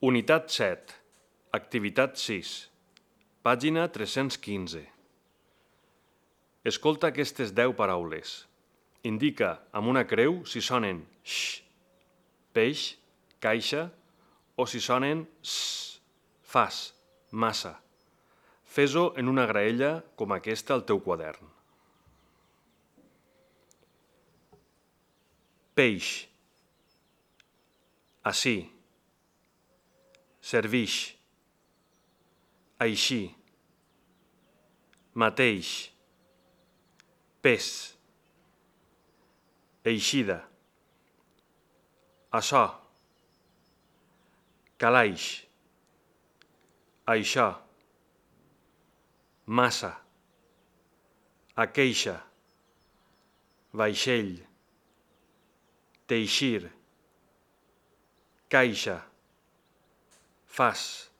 Unitat 7, activitat 6, pàgina 315. Escolta aquestes 10 paraules. Indica amb una creu si sonen x, peix, caixa, o si sonen s, fas, massa. Fes-ho en una graella com aquesta al teu quadern. Peix, ací, serviix, així, mateix, pes, eixida, açò, calaix, això, massa, aqueixa, vaixell, teixir, caixa, fas.